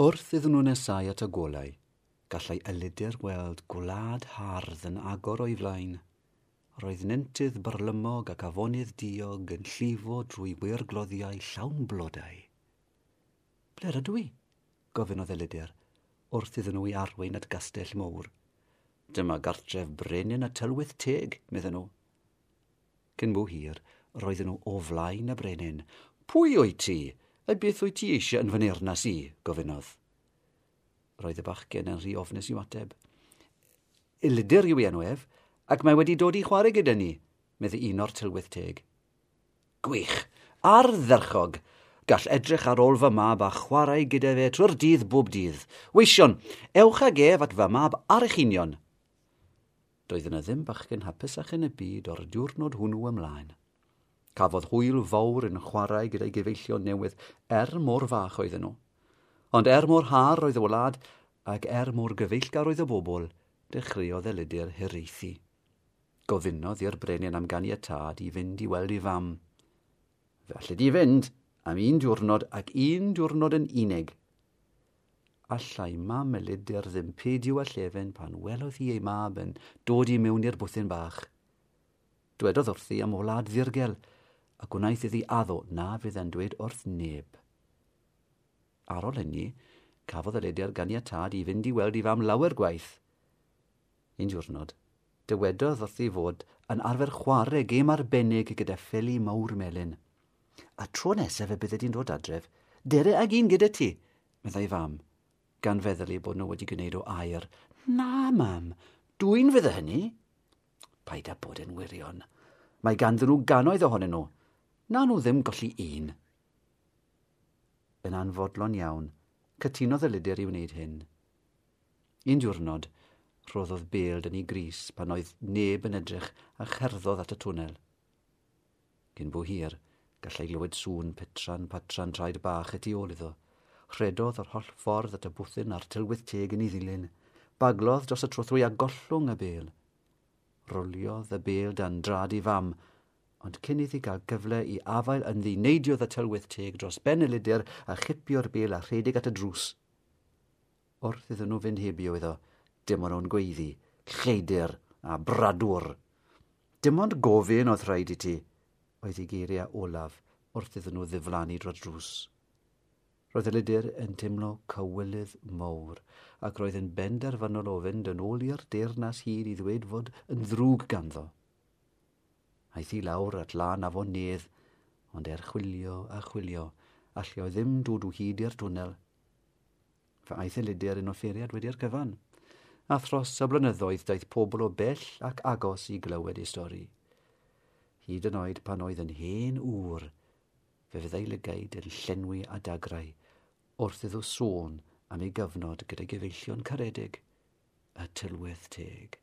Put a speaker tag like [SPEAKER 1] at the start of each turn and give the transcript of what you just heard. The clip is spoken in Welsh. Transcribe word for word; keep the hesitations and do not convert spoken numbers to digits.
[SPEAKER 1] Wrth iddyn nhw nesau at y golau, gallai Elidir weld gwlad hardd yn agor o'i flaen. Roedd nentydd byrlymog ac afonydd diog yn llifo drwy weirgloddiau llawn blodau. Ble rydw i? Gofynnodd Elidir, wrth iddyn nhw i arwain at gastell mowr. Dyma gartref brenin y tylwyth teg, medden nhw. Cyn bo hir, roedden nhw o flaen y brenin. Pwy wyt ti? A beth wyt ti eisiau yn fy nirnas i? Gofynnodd. Roedd y bachgen yn rhy ofnus i'w ateb. Elidir yw ei enw ef, ac mae wedi dod i chwarae gyda ni, meddai un o'r tylwyth teg. Gwych, ardderchog! Gall edrych ar ôl fy mab a chwarae gyda fe trwy'r dydd bob dydd. Weision, ewch ag ef at fy mab ar eich union. Doedd yna ddim bachgen hapusach yn y byd o'r diwrnod hwnnw ymlaen. Cafodd hwyl fawr yn chwarae gyda'i gyfeillion newydd er mor fach oedden nhw. Ond er mor hardd oedd y wlad ac er mor gyfeillgar oedd y bobl, dechreuodd Elidir hiraethu. Gofynnodd i'r brenin am ganiatâd i fynd i weld ei fam. Fe alli di fynd am un diwrnod ac un diwrnod yn unig. Allai mam Elidir ddim peidio â llefen pan welodd hi ei mab yn dod i mewn i'r bwthyn bach. Dwedodd wrthi am wlad ddirgel, a gwnaeth iddi addo na fydd e'n dweud wrth neb. Ar ôl hynny, cafodd Elidir ganiatâd i fynd i weld ei fam lawer gwaith. Un diwrnod, dywedodd wrthi fod yn arfer chwarae gêm arbennig gyda pheli mawr melyn. A tro nesaf y bydde di'n dod adref, dere ag un gyda ti, meddai fam, gan feddwl eu bod nhw wedi gwneud o aur. Na, mam, dwyn fydde hynny. Paid â bod yn wirion. Mae ganddyn nhw gannoedd ohonyn nhw. Wnawn nhw ddim golli un. Yn anfodlon iawn, cytunodd Elidir i wneud hyn. Un diwrnod, rhoddodd bêl dan ei grys pan oedd neb yn edrych a cherddodd at y twnnel. Cyn bo hir, gallai glywed sŵn petran patran traed bach y tu ôl iddo. Rhedodd yr holl ffordd at y bwthyn a'r tylwyth teg yn ei ddilyn. Baglodd dros y trothwy a gollwng y bêl. Roliodd y bêl dan draed ei fam, ond cyn iddi gael gyfle i afael ynddi, neidiodd y tylwyth teg dros ben Elidir a chipio'r bêl a rhedeg at y drws. Wrth iddyn nhw fynd heibio iddo, dim ond o'n gweiddi, lleidr a bradwr. Dim ond gofyn oedd rhaid i ti, oedd ei geiriau olaf wrth iddyn nhw ddiflannu dros drws. Roedd Elidir yn teimlo cywilydd mawr, ac roedd yn benderfynol o fynd yn ôl i'r deyrnas hud i ddweud fod yn ddrwg ganddo. Aeth i lawr at lan afon Nedd, ond er chwilio a chwilio, allai o ddim dod o hyd i'r twnnel. Fe aeth Elidir yn offeiriad wedi'r cyfan, a thros y blynyddoedd daeth pobl o bell ac agos i glywed ei stori. Hyd yn oed pan oedd yn hen ŵr, fe fyddai lygaid yn llenwi â dagrau wrth iddo sôn am ei gyfnod gyda'i gyfeillion caredig, y tylwyth teg.